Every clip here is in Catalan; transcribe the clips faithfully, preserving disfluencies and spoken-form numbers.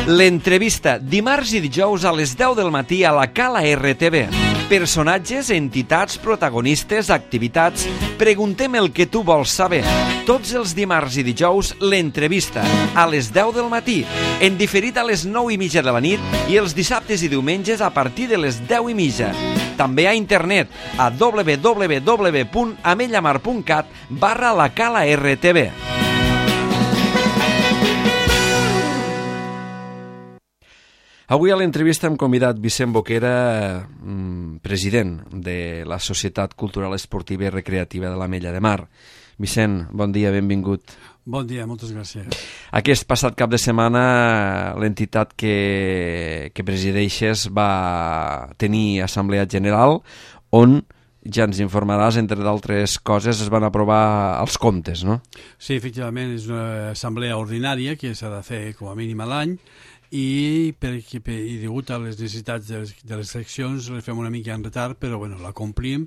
L'entrevista, dimarts i dijous a les deu del matí a la Cala R T V. Personatges, entitats, protagonistes, activitats... Preguntem el que tu vols saber. Tots els dimarts i dijous, l'entrevista, a les deu del matí, en diferit a les nou i mitja de la nit i els dissabtes i diumenges a partir de les deu i mitja. També a internet, a w w w punt amellamar punt cat barra la Cala R T V. Avui a l'entrevista hem convidat Vicent Boquera, president de la Societat Cultural Esportiva i Recreativa de l'Ametlla de Mar. Vicent, bon dia, benvingut. Bon dia, moltes gràcies. Aquest passat cap de setmana l'entitat que, que presideixes va tenir assemblea general on, ja ens informaràs, entre d'altres coses, es van aprovar els comptes, no? Sí, efectivament, és una assemblea ordinària que s'ha de fer com a mínim a l'any i, perquè, i degut a les necessitats de les, de les seccions les fem una mica en retard, però bueno, la complim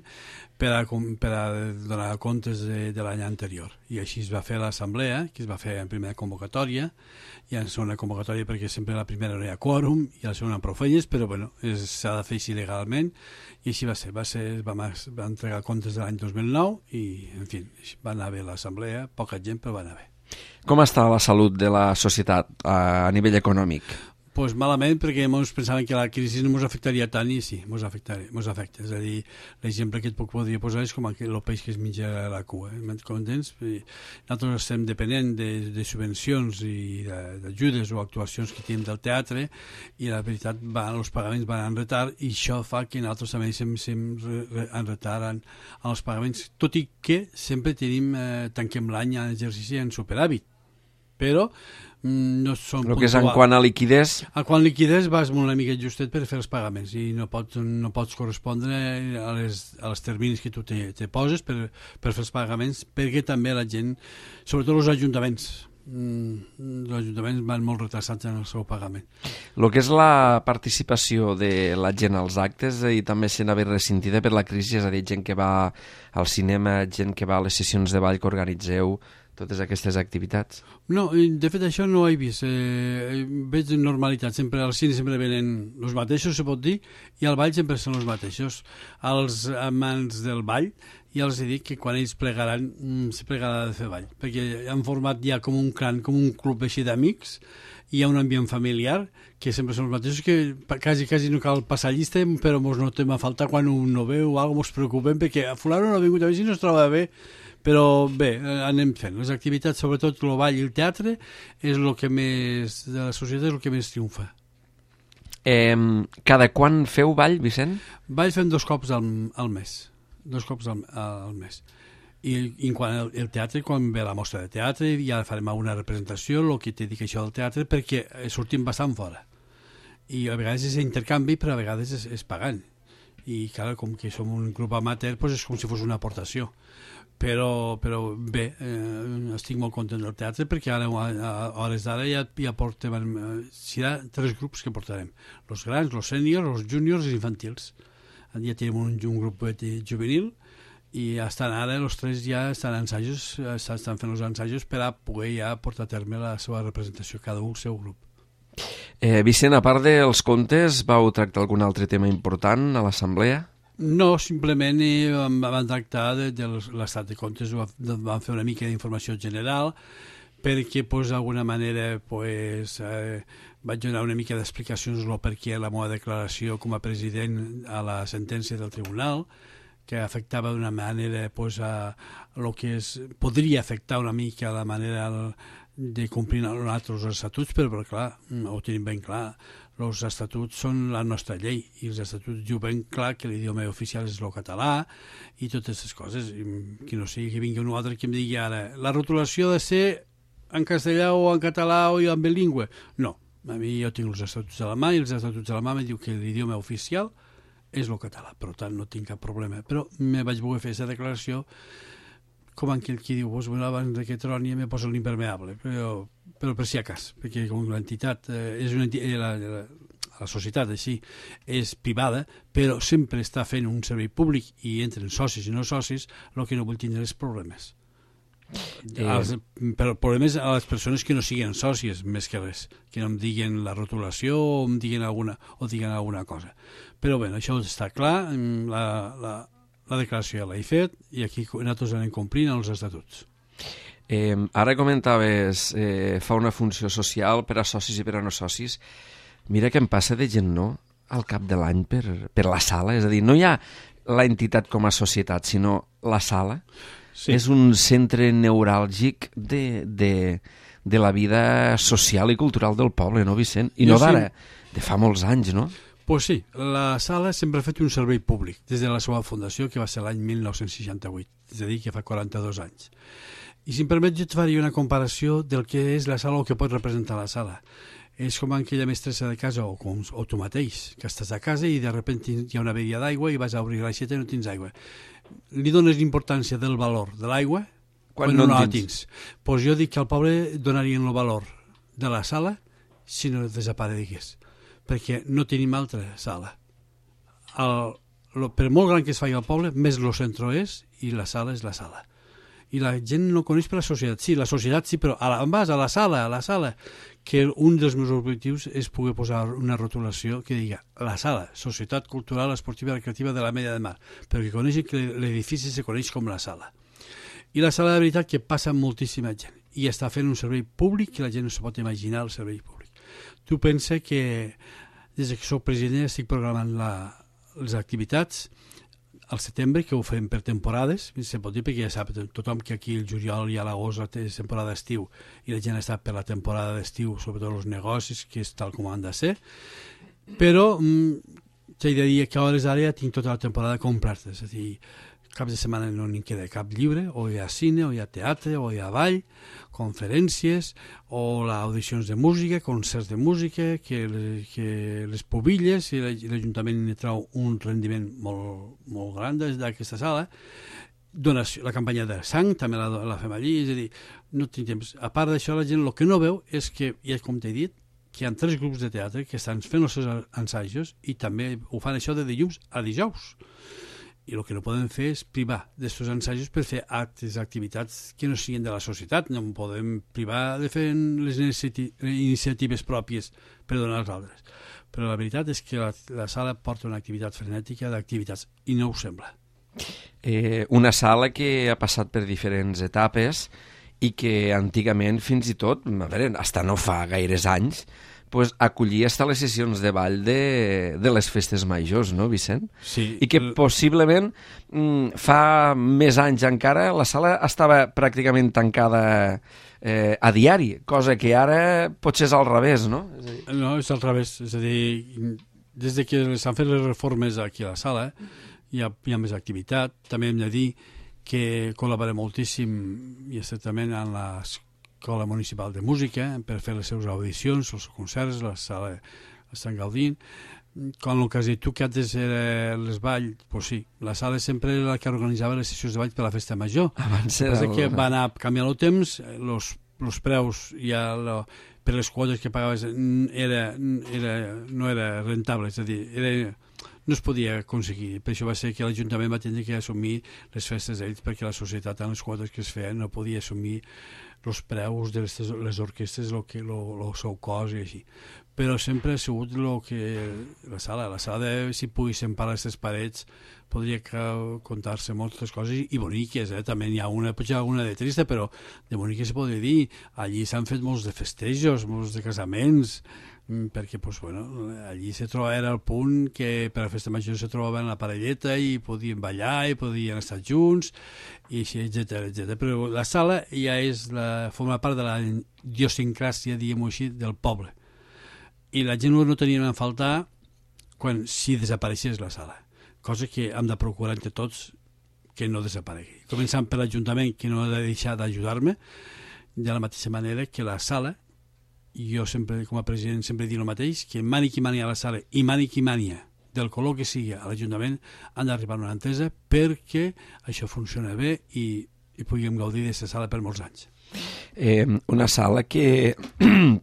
per a, per a donar comptes de, de l'any anterior. I així es va fer l'assemblea, que es va fer en primera convocatòria, i en segona convocatòria perquè sempre la primera no hi ha quòrum i la segona prou feines, però bueno, s'ha de fer així legalment, i així va ser. Va ser vam, vam entregar comptes de l'any dos mil nou i, en fi, va anar bé l'assemblea, poca gent, però va anar bé. Com està la salut de la societat a nivell econòmic? Doncs malament, perquè ens pensaven que la crisi no ens afectaria tant i sí, ens afecta. És a dir, l'exemple que et puc podria posar és com el peix que es menja la cua. Eh? M'entens? Nosaltres estem depenent de, de subvencions i d'ajudes o actuacions que tenim del teatre i la veritat, van, els pagaments van en retard i això fa que nosaltres també estem en retard en, en els pagaments, tot i que sempre tenim, eh, tanquem l'any en exercici en superàvit. Però no són el que és en quant a liquidez... En quant a liquidez vas una mica justet per fer els pagaments i no pots, no pots correspondre a les, a les terminis que tu te, te poses per, per fer els pagaments, perquè també la gent, sobretot els ajuntaments, els ajuntaments van molt retrasats en el seu pagament. El que és la participació de la gent als actes i també se n'ha vist ressentida per la crisi, és a dir, gent que va al cinema, gent que va a les sessions de ball que organitzeu, totes aquestes activitats? No, de fet això no ho he vist. Eh, veig normalitat. Sempre al cine sempre venen els mateixos, se pot dir, i al ball sempre són els mateixos. Els amants del ball ja els he dit que quan ells plegaran, se plegarà de fer ball, perquè han format ja com un clan, com un club així d'amics, hi ha un ambient familiar que sempre són els mateixos, que quasi, quasi no cal passar llista, però ens notem a faltar quan un no veu o alguna cosa, ens preocupem perquè a fulano no ha vingut a veure si no es troba bé. Però bé, anem fent. Les activitats, sobretot el ball i el teatre, és el que més, de la societat és el que més triomfa. Eh, cada quan feu ball, Vicent? Ball fem dos cops al, al mes. Dos cops al, al mes. I, i quan el, el teatre, quan ve la mostra de teatre, ja farem una representació, el que t'he dit això del teatre, perquè sortim bastant fora. I a vegades és intercanvi, però a vegades és, és pagant. I clar, com que som un grup amateur, doncs és com si fos una aportació. Però, però bé, eh, estic molt content del teatre perquè ara a, a hores d'ara ja, ja portem, eh, serà tres grups que portarem, els grans, els sèniors, els júniors i els infantils. Ja tenim un, un grup juvenil i estan ara, els tres ja estan en ensajos, estan fent els ensajos per a poder ja portar a terme la seva representació, cada un el seu grup. Eh, Vicent, a part dels contes, vau tractar algun altre tema important a l'assemblea? No, simplement eh, vam tractar de, de l'estat de comptes, vam fer una mica d'informació general perquè pues, d'alguna manera pues, eh, vaig donar una mica d'explicacions del per què la meva declaració com a president a la sentència del tribunal, que afectava d'una manera pues, a lo que es, podria afectar una mica la manera de complir nosaltres els estatuts, però, però clar, ho tenim ben clar. Els estatuts són la nostra llei i els estatuts diuen ben clar que l'idioma oficial és el català i totes aquestes coses. I que no sigui que vingui un altre que em digui ara la rotulació ha de ser en castellà o en català o en bilingüe. No, a mi jo tinc els estatuts a la mà i els estatuts a la mà em diu que l'idioma oficial és el català, per tant no tinc cap problema. Però me vaig voler fer aquesta declaració com aquell qui diu, pues, bueno, abans que troni me poso l'impermeable, però, però per si a cas, perquè com l'entitat eh, és una entitat, la, la, la societat així és privada, però sempre està fent un servei públic i entren socis i no socis, el que no vull tindre és problemes. Eh... Els, però el problema és a les persones que no siguin sòcies, més que res, que no em diguin la rotulació o em diguin alguna, o diguin alguna cosa. Però bé, això està clar, la, la, la declaració ja l'he fet i aquí nosaltres anem complint els estatuts. Eh, ara comentaves eh, fa una funció social per a socis i per a no socis. Mira que em passa de gent, no?, al cap de l'any per, per la sala. És a dir, no hi ha l'entitat com a societat, sinó la sala. Sí. És un centre neuràlgic de, de, de la vida social i cultural del poble, no, Vicent? I jo no d'ara, sí. De fa molts anys, no? Pues sí, la sala sempre ha fet un servei públic, des de la seva fundació, que va ser l'any mil nou-cents seixanta-vuit, és a dir, que fa quaranta-dos anys. I si em permet, jo et faria una comparació del que és la sala o que pot representar la sala. És com aquella mestressa de casa o, com, o tu mateix, que estàs a casa i de sobte hi ha una averia d'aigua i vas a obrir l'aixeta i no tens aigua. Li dones l'importància del valor de l'aigua quan, quan no, no la tens. Pues jo dic que al poble donarien el valor de la sala si no desaparegués, perquè no tenim altra sala. El, lo, per molt gran que es faci al poble, més el centre és i la sala és la sala. I la gent no coneix per la societat. Sí, la societat sí, però a la, vas a la sala, a la sala, que un dels meus objectius és poder posar una rotulació que diga la sala, Societat Cultural Esportiva i Recreativa de la Media de Mar, però que coneixi que l'edifici se coneix com la sala. I la sala, de veritat, que passa moltíssima gent i està fent un servei públic que la gent no se pot imaginar, el servei públic. Tu pensa que des que soc president estic programant la, les activitats al setembre, que ho fem per temporades, se pot dir perquè ja sap tothom que aquí el juliol i a l'agost és temporada d'estiu i la gent està per la temporada d'estiu, sobretot els negocis, que és tal com han de ser, però mm, t'he de dir que a hores d'ara ja tinc tota la temporada completa, és a dir, cap de setmana no n'hi queda cap lliure, o hi ha cine, o hi ha teatre, o hi ha ball, conferències, o audicions de música, concerts de música, que, que les pobilles, i l'Ajuntament hi trau un rendiment molt, molt gran d'aquesta sala. Donació, la campanya de sang també la, la fem allí, és a dir, no tinc temps. A part d'això, la gent el que no veu és que, ja com t'he dit, que hi ha tres grups de teatre que estan fent els seus ensajos i també ho fan això de dilluns a dijous. I el que no podem fer és privar d'aquests ensajos per fer actes, activitats que no siguin de la societat. No podem privar de fer les iniciatives pròpies per donar als altres. Però la veritat és que la, la sala porta una activitat frenètica d'activitats i no ho sembla. Eh, una sala que ha passat per diferents etapes i que antigament fins i tot, a veure, hasta no fa gaires anys, pues, acollia hasta les sessions de ball de, de les festes majors, no, Vicent? Sí. I que possiblement mm, fa més anys encara la sala estava pràcticament tancada eh, a diari, cosa que ara potser és al revés, no? És a dir... No, és al revés. És a dir, des de que s'han fet les reformes aquí a la sala, hi ha, hi ha més activitat. També hem de dir que col·laborem moltíssim i estretament en les Escola Municipal de Música per fer les seves audicions, els concerts, la sala estan gaudint. Com el que has dit tu, que antes era les balls, pues sí, la sala sempre era la que organitzava les sessions de ball per la festa major. Abans era... El que va anar canviant el temps, los, los preus ja lo, per les quotes que pagaves era, era, no era rentable, és a dir, era, no es podia aconseguir. Per això va ser que l'Ajuntament va tenir que assumir les festes d'ells perquè la societat en les quotes que es feien no podia assumir els preus de les, les orquestres, el que el seu cost i així. Però sempre ha sigut lo que la sala, la sala de, si poguéssim parar aquestes parets, podria contar-se moltes coses i boniques, eh? També hi ha una, potser alguna de trista, però de boniques se podria dir. Allí s'han fet molts de festejos, molts de casaments, perquè pues, bueno, allí se troba, era el punt que per a la festa major se trobaven la parelleta i podien ballar i podien estar junts i així, etcètera, etcètera. Però la sala ja és la, forma part de la idiosincràsia, diguem-ho així, del poble. I la gent no tenia a faltar quan si desapareixés la sala, cosa que hem de procurar entre tots que no desaparegui. Començant per l'Ajuntament, que no ha de deixar d'ajudar-me, de la mateixa manera que la sala, i jo sempre, com a president, sempre dic el mateix, que mani qui mani a la sala i mani qui mani del color que sigui a l'Ajuntament han d'arribar a una entesa perquè això funciona bé i, i puguem gaudir d'aquesta sala per molts anys. Eh, una sala que,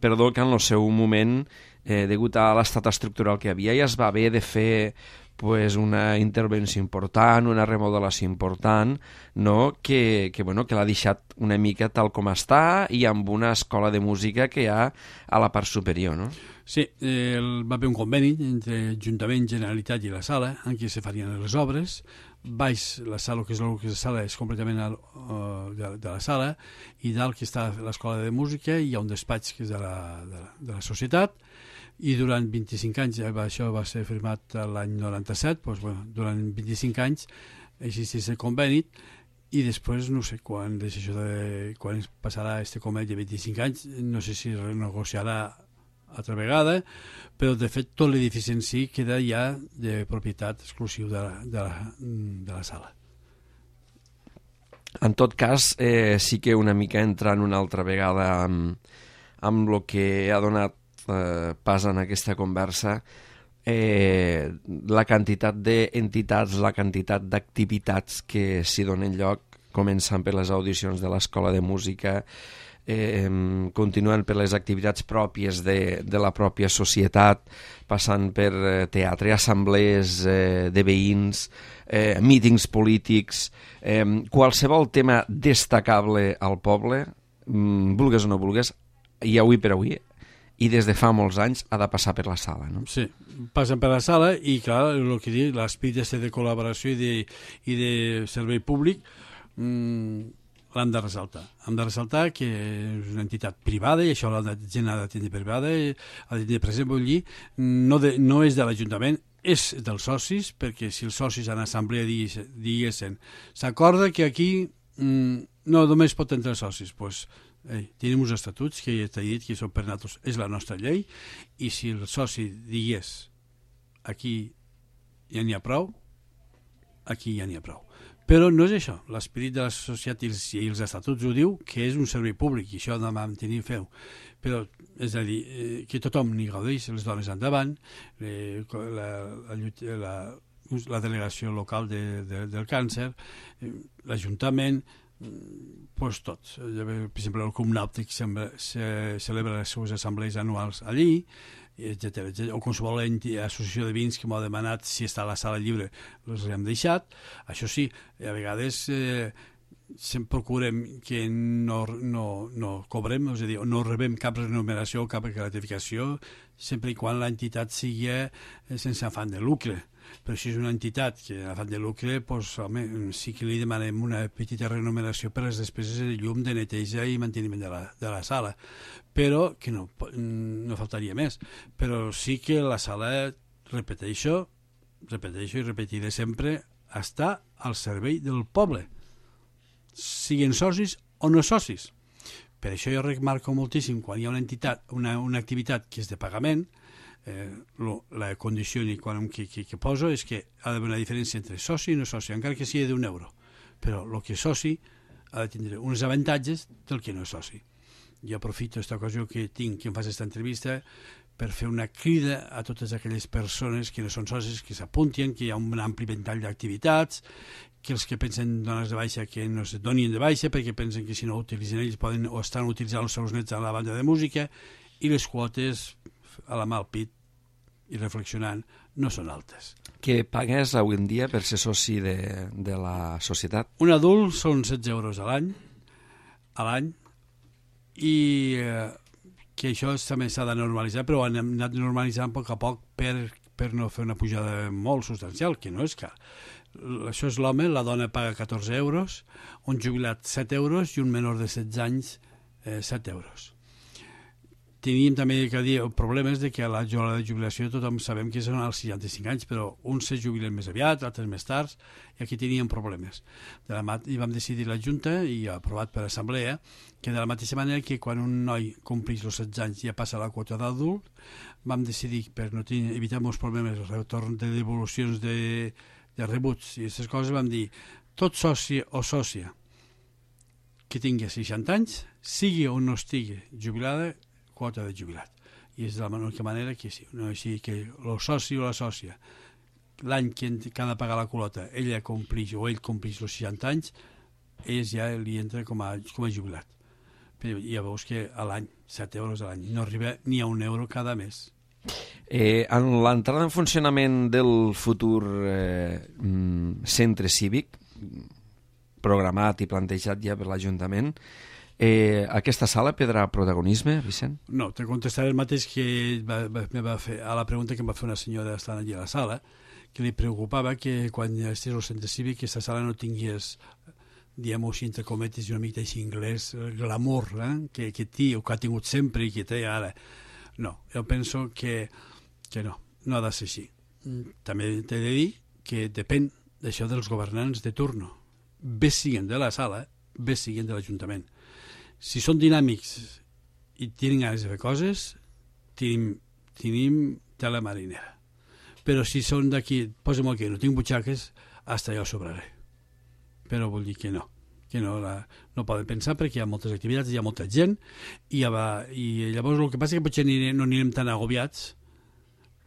perdó, que en el seu moment, eh, degut a l'estat estructural que hi havia, ja es va haver de fer pues, una intervenció important, una remodelació important, no? que, que, bueno, que l'ha deixat una mica tal com està i amb una escola de música que hi ha a la part superior. No? Sí, eh, va haver un conveni entre Ajuntament, Generalitat i la sala en què se farien les obres. Baix, la sala, que és la, que és la sala, és completament al, uh, de, de la sala, i dalt, que està l'escola de música, hi ha un despatx que és de la, de la, de la societat, i durant vint-i-cinc anys, això va ser firmat l'any noranta-set, doncs, bueno, durant vint-i-cinc anys existeix el conveni, i després no sé quan, això de, quan passarà este conveni de vint-i-cinc anys, no sé si renegociarà altra vegada, però de fet tot l'edifici en si queda ja de propietat exclusiva de la, de la, de la sala. En tot cas, eh, sí que una mica entrant una altra vegada amb, amb el que ha donat eh, pas en aquesta conversa, eh, la quantitat d'entitats, la quantitat d'activitats que s'hi donen lloc, començant per les audicions de l'Escola de Música, eh, continuant per les activitats pròpies de, de la pròpia societat, passant per eh, teatre, assemblees eh, de veïns, eh, mítings polítics, eh, qualsevol tema destacable al poble, mm, vulgues o no vulgues, i avui per avui, i des de fa molts anys ha de passar per la sala, no? Sí, passen per la sala i, clar, el que dic, l'esperit de col·laboració i de, i de servei públic mmm, l'han de ressaltar. Hem de ressaltar que és una entitat privada i això la gent ha de tenir privada, ha de tenir present, vull dir, no, de, no és de l'Ajuntament, és dels socis, perquè si els socis en assemblea diguessin s'acorda que aquí mmm, no només pot entrar socis, doncs Ei, tenim uns estatuts que ja t'he dit que són per nosaltres, és la nostra llei, i si el soci digués aquí ja n'hi ha prou, aquí ja n'hi ha prou. Però no és això, l'esperit de la societat i els, i els estatuts ho diu, que és un servei públic i això ha de mantenir feu. Però, és a dir, eh, que tothom n'hi gaudeix, les dones endavant, eh, la, la, la, la delegació local de, de, del càncer, eh, l'Ajuntament, pues tot. Per exemple, el Club Nàutic se celebra les seves assemblees anuals allí, etcètera. O qualsevol associació de veïns que m'ha demanat si està a la sala lliure, els hem deixat. Això sí, a vegades eh, sempre procurem que no, no, no cobrem, és a dir, no rebem cap remuneració o cap gratificació, sempre i quan l'entitat sigui sense afany de lucre. Però si és una entitat que ha fet de lucre, doncs, home, sí que li demanem una petita remuneració per les despeses de llum, de neteja i manteniment de la, de la sala. Però, que no, no faltaria més, però sí que la sala, repeteixo, repeteixo i repetiré sempre, està al servei del poble, siguin socis o no socis. Per això jo remarco moltíssim, quan hi ha una entitat, una, una activitat que és de pagament, Eh, lo, la condició que, que, que poso és que ha d'haver una diferència entre soci i no soci, encara que sigui d'un euro, però el que és soci ha de tindre uns avantatges del que no és soci. Jo aprofito aquesta ocasió que tinc, que em fas aquesta entrevista, per fer una crida a totes aquelles persones que no són socis, que s'apuntin, que hi ha un ampli ventall d'activitats, que els que pensen donar-se de baixa que no se donin de baixa perquè pensen que si no ho utilitzen ells poden o estan utilitzant els seus nets a la banda de música, i les quotes a la mà al pit i reflexionant no són altes. Què pagues avui en dia per ser soci de, de la societat? Un adult són setze euros a l'any a l'any i eh, que això també s'ha de normalitzar, però han anat normalitzant a poc a poc per, per no fer una pujada molt substancial, que no és car. Això és l'home, la dona paga catorze euros, un jubilat set euros i un menor de setze anys eh, set euros. Teníem també que dir problemes de que a la hora de jubilació tothom sabem que són als seixanta-cinc anys, però uns se jubilen més aviat, altres més tard, i aquí teníem problemes. De la mat- I vam decidir la Junta, i aprovat per assemblea, que de la mateixa manera que quan un noi compleix els setze anys ja passa la quota d'adult, vam decidir, per no tenir, evitar molts problemes, el retorn de devolucions de, de rebuts i aquestes coses, vam dir, tot soci o sòcia que tingui seixanta anys, sigui o no estigui jubilada, quota de jubilat. I és de la única manera que sí, no així que el soci o la sòcia, l'any que, que ha de pagar la quota, ella complix o ell complix els seixanta anys, ells ja li entra com a, com a jubilat. Però ja veus que a l'any, set euros a l'any, no arriba ni a un euro cada mes. Eh, en l'entrada en funcionament del futur eh, centre cívic, programat i plantejat ja per l'Ajuntament, eh, aquesta sala prendrà protagonisme, Vicent? No, te contestaré el mateix que va, va, me va fer a la pregunta que em va fer una senyora estant allà a la sala, que li preocupava que quan estigués al centre cívic aquesta sala no tingués, diguem-ho així, entre cometes, i una mica així anglès, glamour, eh? que, que té, o que ha tingut sempre i que té ara. No, jo penso que, que no, no ha de ser així. També t'he de dir que depèn d'això dels governants de turno. Bé siguen de la sala, bé siguen de l'Ajuntament. Si són dinàmics i tenen ganes de fer coses, tenim, tenim tela marinera. Però si són d'aquí, posa'm aquí, no tinc butxaques, hasta jo sobraré. Però vull dir que no, que no, la, no poden pensar perquè hi ha moltes activitats, hi ha molta gent, i, ja va, i llavors el que passa és que potser no anirem tan agobiats,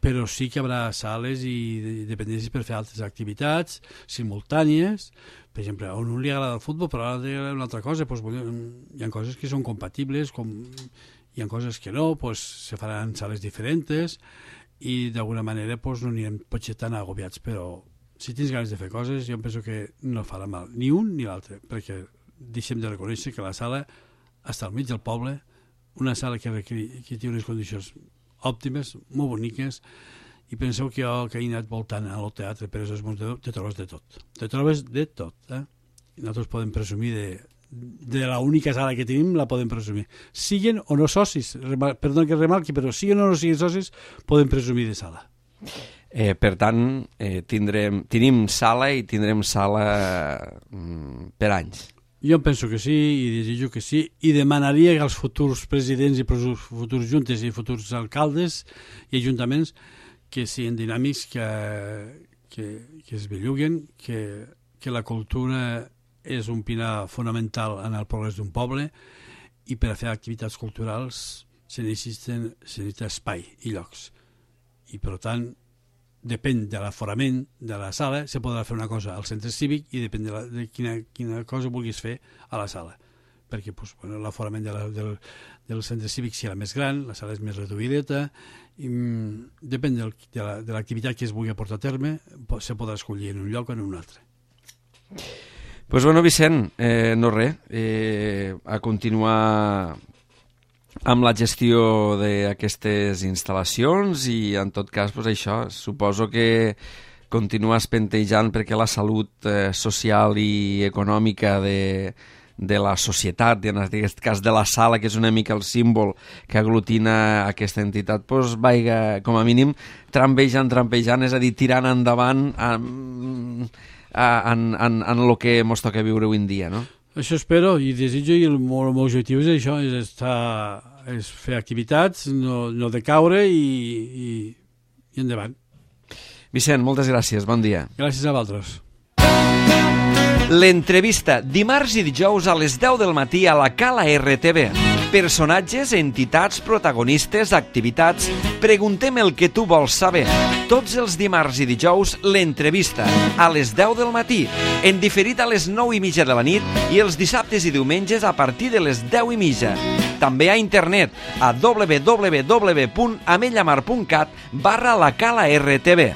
però sí que hi haurà sales i dependències per fer altres activitats simultànies. Per exemple, a un li agrada el futbol, però a l'altre li agrada una altra cosa. Doncs, hi ha coses que són compatibles, com hi ha coses que no, doncs, se faran sales diferents i d'alguna manera doncs, no anirem potser tan agobiats, però si tens ganes de fer coses, jo penso que no farà mal ni un ni l'altre, perquè deixem de reconèixer que la sala està al mig del poble, una sala que, que té unes condicions òptimes, molt boniques, i penseu que jo que he anat voltant al teatre Pere Sesmons de te trobes de tot. Te trobes de tot. Eh? I nosaltres podem presumir de, de l'única sala que tenim, la podem presumir. Siguen o no socis, perdó que remarqui, però siguen o no siguen socis, podem presumir de sala. Eh, per tant, eh, tindrem, tenim sala i tindrem sala mm, per anys. Jo penso que sí, i desitjo que sí, i demanaria als futurs presidents i futurs juntes i futurs alcaldes i ajuntaments que siguin dinàmics, que, que, que es belluguen, que, que la cultura és un pilar fonamental en el progrés d'un poble, i per a fer activitats culturals se necessita, se necessita espai i llocs. I per tant, depèn de l'aforament de la sala, se podrà fer una cosa al centre cívic i depèn de, la, de quina, quina cosa vulguis fer a la sala. Perquè pues, bueno, l'aforament de la, del, del centre cívic serà més gran, la sala és més reduïdeta, i, mm, depèn del, de l'activitat la, que es vulgui portar a terme, se podrà escollir en un lloc o en un altre. Pues bueno, Vicent, eh, no res, eh, a continuar amb la gestió d'aquestes instal·lacions i en tot cas pues, això, suposo que continues pentejant perquè la salut eh, social i econòmica de, de la societat, en aquest cas de la sala, que és una mica el símbol que aglutina aquesta entitat, pues, vaiga, com a mínim, trampejant, trampejant, és a dir, tirant endavant en, en, en, en el que ens toca viure avui en dia, no? Això espero i desitjo, i el meu, el meu objectiu és això, és, estar, és fer activitats, no, no decaure i, i, i endavant. Vicent, moltes gràcies, bon dia. Gràcies a vosaltres. L'entrevista, dimarts i dijous a les deu del matí a la Cala R T V. Personatges, entitats, protagonistes, activitats... Preguntem el que tu vols saber. Tots els dimarts i dijous, l'entrevista, a les deu del matí, en diferit a les nou i mitja de la nit i els dissabtes i diumenges a partir de les deu i mitja. També a internet a w w w punt amellamar punt cat barra la Cala R T V.